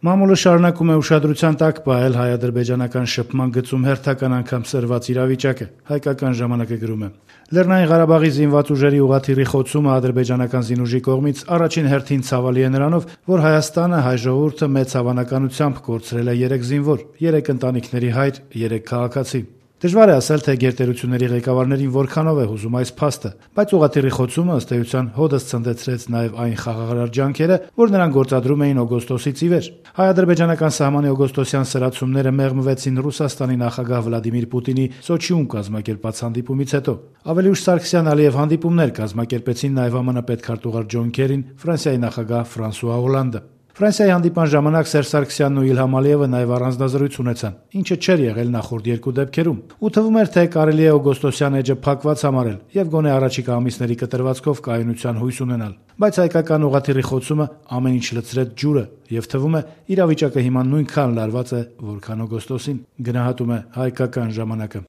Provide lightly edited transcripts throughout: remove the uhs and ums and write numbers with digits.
Մամուլը շարունակում է ուշադրության տակ պահել հայ-ադրբեջանական շփման գծում հերթական անգամ սրված իրավիճակը, հայկական ժամանակը գրում է. Լեռնային Ղարաբաղի զինված ուժերի ուղղաթիռի խոցումը ադրբեջանական զինուժի կողմից առաջին հերթին ցավալի է նրանով, որ Հայաստանը, հայ ժողովուրդը մեծ հավանականությամբ կորցրել է 3 զինվոր, 3 ընտանիքների հայր, 3 քաղաքացի։ Դժվար է ասել, թե գերտերությունների ղեկավարներին որքանով է հուզում այս փաստը, բայց ուղղաթիռի խոցումը ըստ էության հօդս ցնդեցրեց նաև այն խաղաղարար ջանքերը, որ նրան գործադրում էին օգոստոսից ի վեր։ Հայ-ադրբեջանական սահմանի օգոստոսյան սրացումները մեղմվեցին Ռուսաստանի նախագահ Վլադիմիր Պուտինի Սոչիում կազմակերպած հանդիպումից հետո։ Ավելի ուշ Սարգսյան-Ալիև հանդիպումներ կազմակերպեցին նաև ԱՄՆ պետքարտուղար Ջոն Քերին, Ֆրանսիայի նախագահ Ֆրանսուଆ Հոլանդը։ Ֆրանսիայի հանդիպան ժամանակ Սերժ Սարգսյանն ու Իլհամ Ալիևը նաև առանձնազրույց ունեցան, ինչը չէր եղել նախորդ 2 դեպքերում։ Ու թվում էր, թե կարելի է օգոստոսյան էջը փակված համարել եւ գոնե առաջիկա ամիսների կտրվածքով կայունության հույս ունենալ։ Բայց հայկական ուղղաթիռի խոցումը ամեն ինչ լցրեց ջուրը եւ թվում է իրավիճակը հիմա նույնքան լարված է, որքան օգոստոսին, գնահատում է հայկական ժամանակը։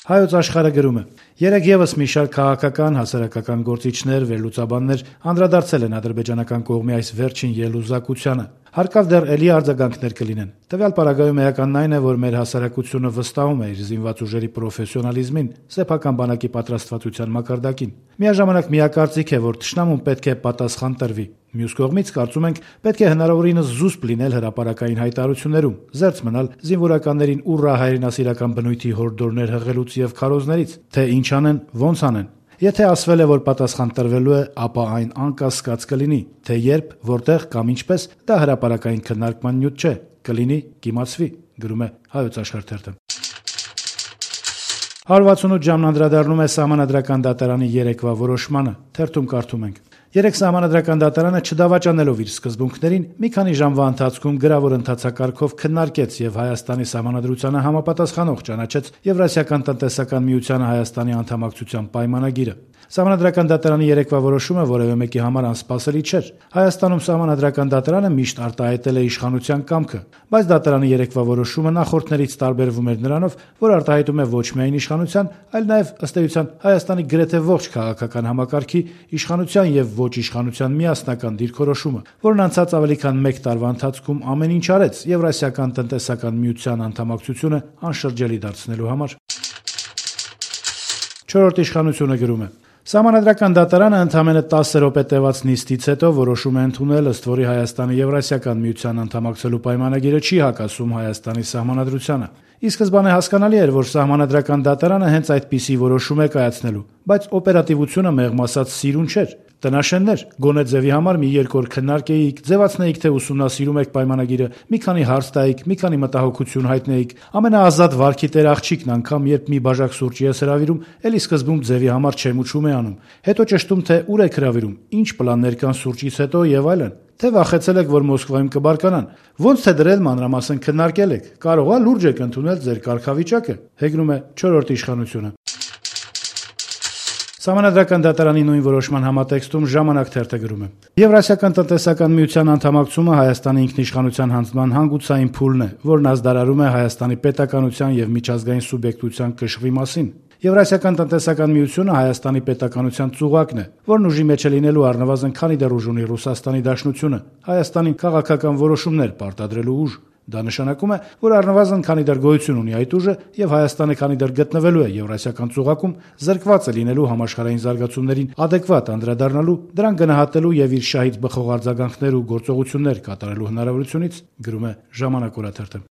Հայոց աշխարհը գրում է. Երեկ եւս մի շարք քաղաքական, հասարակական գործիչներ, վերլուծաբաններ անդրադարձել են ադրբեջանական կողմի այս վերջին ելուզակությանը։ Հարկավ դեռ էլի արձագանքներ կլինեն։ Տվյալ պարագայում էականն այն է, որ մեր հասարակությունը վստահում է իր զինված ուժերի պրոֆեսիոնալիզմին, սեփական բանակի պատրաստվածության մակարդակին։ Միաժամանակ միակարծիք է, որ թշնամուն պետք է պատասխան տրվի։ Մյուս կողմից կարծում ենք, պետք է հնարավորինս զուսպ լինել հրապարակային հայտարարություններում, զերծ մնալ զինվորականներին ուռա հայրենասիրական բնույթի հորդորներ հղելուց եւ քարոզներից, թե ինչ անեն, ոնց անեն։ Եթե ասվել է, որ պատասխան տրվելու է, ապա այն անկասկած կլինի, թե երբ, որտեղ կամ ինչպես, դա հրապարակային քննարկման նյութ չէ, կլինի, կիմացվի, գրում է Հայոց աշխարհ թերթը։ 168 ժամն անդրադառնում է Սահմանադրական դատարանի երեկվա որոշմանը, թերթում կարդում ենք. Երեք Սահմանադրական դատարանը չդավաճանելով իր սկզբունքներին մի քանի ժամվա ընթացքում գրավոր ընթացակարգով քննարկեց եւ Հայաստանի Սահմանադրությանը համապատասխանող ճանաչեց Եվրասիական տնտեսական միությանը Հայաստանի անդամակցության պայմանագիրը։ Սահմանադրական դատարանի երեկվա որոշումը որևէ մեկի համար անսպասելի չէր։ Հայաստանում Սահմանադրական դատարանը միշտ արտահայտել է իշխանության կամքը, բայց դատարանի երեկվա որոշումը նախորդներից տարբերվում էր նրանով, որ արտահայտում է ոչ միայն իշխանության, այլ նաեւ ըստ էության Հայաստանի գրեթե ողջ քաղաքական համակարգի իշխանության եւ ոչ իշխանության միասնական դիրքորոշումը, որն անցած ավելի քան 1 տարվա ընթացքում ամեն ինչ արեց Եվրասիական տնտեսական միության անդամակցությունը անշրջելի դարձնելու համար։ 4-րդ իշխանությունը գրում է. Սահմանադրական դատարանը ընդամենը 10 րոպե տևած նիստից հետո որոշում է ընդունել, ըստ որի Հայաստանի Եվրասիական միության անդամակցելու պայմանագիրը չի հակասում Հայաստանի Սահմանադրությանը։ Ի սկզբանե հասկանալի էր, որ Սահմանադրական դատարանը հենց այդպիսի որոշում է կայացնելու, բայց օպերատիվությունը մեղմ ասած սիրուն չէր։ Տնաշեններ, գոնե ձևի համար մի 2 օր քննարկեիք, ձևացնեիք, թե ուսումնասիրում եք պայմանագիրը, մի քանի հարց տայիք, մի քանի մտահոգություն հայտնեիք, ամենաազատ վարքի տեր աղջիկն անգամ երբ մի բաժակ սուրճի ես հրավիրում, էլի սկզբում ձևի համար չեմուչում է անում, հետո ճշտում, թե ուր եք հրավիրում, ինչ պլաններ կան սուրճից հետո եւ այլն, թե վախեցել եք, որ Մոսկվայում կբարկանան, ոնց թե դրել մանրամասն քննարկել եք, կարող է լուրջ եք ընդունել ձեր կարգավիճակը, հեգնում է 4-րդ իշխանությունը։ Սահմանադրական դատարանի նույն որոշման համատեքստում Ժամանակ թերթը գրում է. Եվրասիական տնտեսական միության անդամակցումը Հայաստանի ինքնիշխանության հանձնման հանգուցային փուլն է, որն ազդարարում է Հայաստանի պետականության եւ միջազգային սուբյեկտության կշռի մասին։ Եվրասիական տնտեսական միությունը Հայաստանի պետականության ծուղակն է, որն ուժի մեջ է լինելու առնվազն քանի դեռ ուժ ունի Ռուսաստանի Դաշնությունը, Հայաստանի քաղաքական որոշումներ պարտադրելու ուժ։ Դա նշանակում է, որ առնվազն քանի դեռ գոյություն ունի այդ ուժը եւ Հայաստանը քանի դեռ գտնվելու է Եվրասիական ծուղակում, զրկված է լինելու համաշխարհային զարգացումներին adekvat անդրադառնալու, դրան գնահատելու եւ իր շահից բխող արձագանքներ ու գործողություններ կատարելու հնարավորությունից, գրում է Ժամանակ օրաթերթը։